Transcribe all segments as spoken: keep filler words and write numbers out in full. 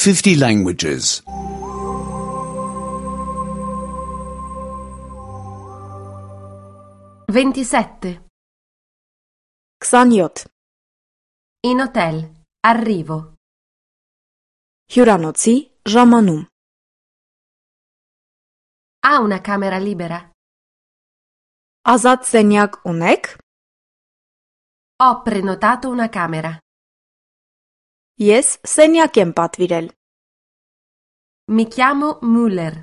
fifty languages. ventisette. քսանյոթ. In hotel. Arrivo. Հյուրանոցի ժամանում. Ha una camera libera? Ազատ սենյակ ունեք? Ho prenotato una camera. Ես սենյակ եմ պատվիրել. Mi chiamo Müller.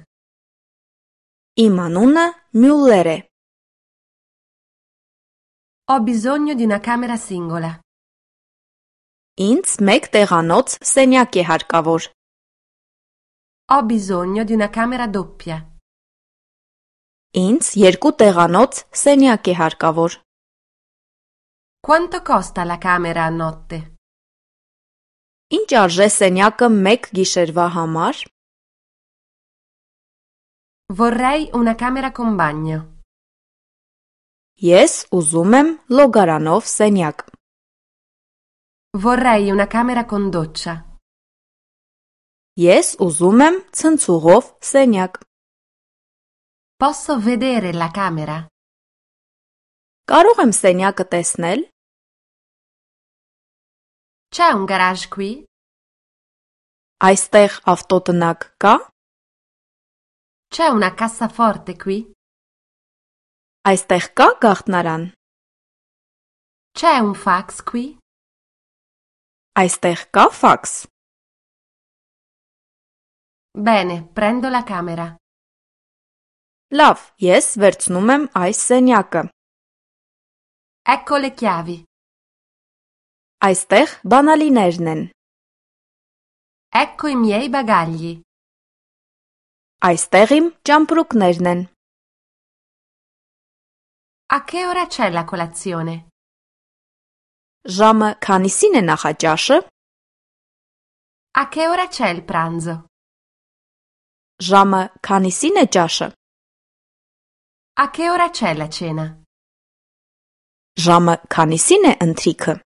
Իմ անունը Մյուլլեր է. Ho bisogno di una camera singola. Ինձ մեկ տեղանոց սենյակ է հարկավոր. Ho bisogno di una camera doppia. Ինձ երկու տեղանոց սենյակ է հարկավոր. Quanto costa la camera a notte? Ինչ արժե սենյակը մեկ գիշերվա համար? Vorrei una camera con bagno. Ես ուզում եմ լոգարանով սենյակ. Vorrei una camera con doccia. Ես ուզում եմ ցնցուղով սենյակ. Posso vedere la camera? Կարող եմ սենյակը տեսնել? C'è un garage qui? Այստեղ ավտոտնակ կա? C'è una cassaforte qui? Այստեղ կա գաղտնարան? C'è un fax qui? Այստեղ կա ֆաքս? Bene, prendo la camera. Լավ, ես վերցնում եմ այս սենյակը. Ecco le chiavi. Այստեղ բանալիներն են. Ecco i miei bagagli. Այստեղ իմ ճամպրուկներն են. A che ora c'è la colazione? Ժամը քանիսին է նախաճաշը? A che ora c'è il pranzo? Ժամը քանիսին է ճաշը? A che ora c'è la cena? Ժամը քանիսին է ընթրիքը?